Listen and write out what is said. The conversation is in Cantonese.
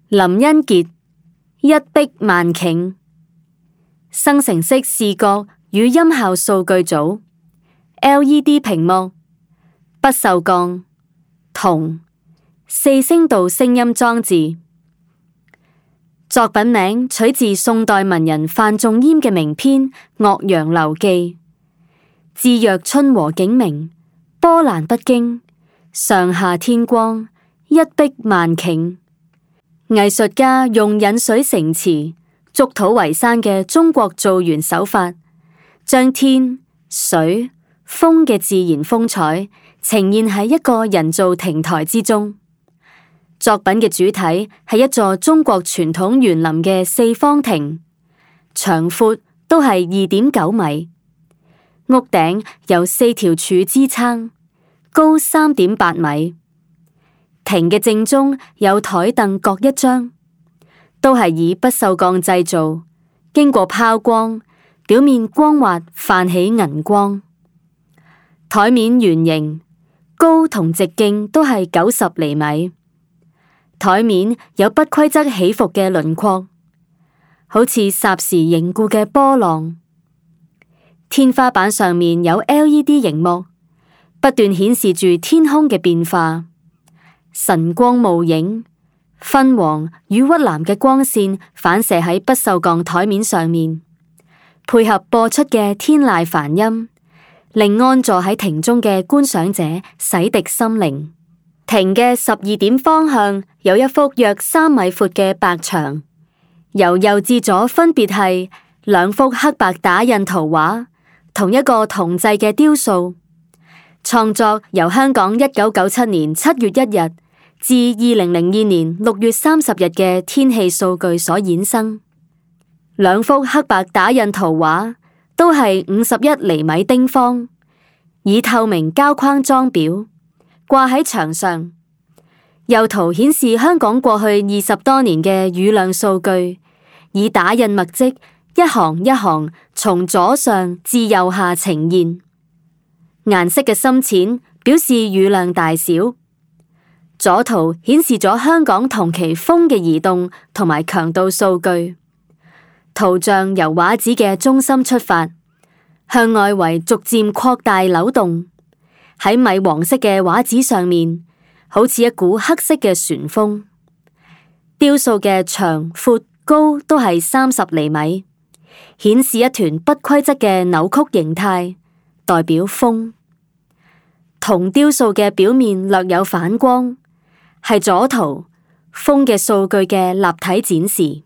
林恩傑，一璧萬頃，生成式視覺與音效數據組 LED 屏幕，不鏽鋼，銅，4聲道聲音裝置。作品名取自宋代文人范仲淹嘅名篇《岳陽樓記》，至若春和景明，波瀾不驚，上下天光，一璧萬頃。藝術家用引水成池、築土為山嘅中國造園手法，將天、水、風嘅自然風采呈現喺一個人造亭台之中。作品嘅主體係一座中國傳統園林嘅四方亭，長闊都係2.9米，屋頂由4條柱支撐，高3.8米。亭嘅正中有台凳各一張，都係以不鏽鋼製造，經過拋光，表面光滑泛起銀光。台面圓形，高同直徑都係90厘米。台面有不規則起伏嘅輪廓，好似霎時凝固嘅波浪。天花板上面有 LED 熒幕，不斷顯示住天空嘅變化。晨光暮影，昏黃與鬱藍嘅光線反射喺不鏽鋼台面上面，配合播出嘅天籟梵音，令安坐喺亭中嘅觀賞者洗滌心靈。亭嘅12點方向有一幅約3米闊嘅白牆，由右至左分別係2幅黑白打印圖畫，同一個銅製嘅雕塑。創作由香港1997年7月1日至2002年6月30日嘅天氣數據所衍生。2幅黑白打印圖畫都係51厘米丁方，以透明膠框裝裱，掛喺牆上。右圖顯示香港過去20多年嘅雨量數據，以打印墨迹一行一行從左上至右下呈現。顏色嘅深淺表示雨量大小。左圖顯示咗香港同期風嘅移動同埋強度數據。圖像由畫紙嘅中心出發，向外圍逐漸擴大扭動。喺米黃色嘅畫紙上面，好似一股黑色嘅旋風。雕塑嘅長、闊、高都係30厘米，顯示一團不規則嘅扭曲形態，代表風。銅雕塑嘅表面略有反光，係左圖風嘅數據嘅立體展示。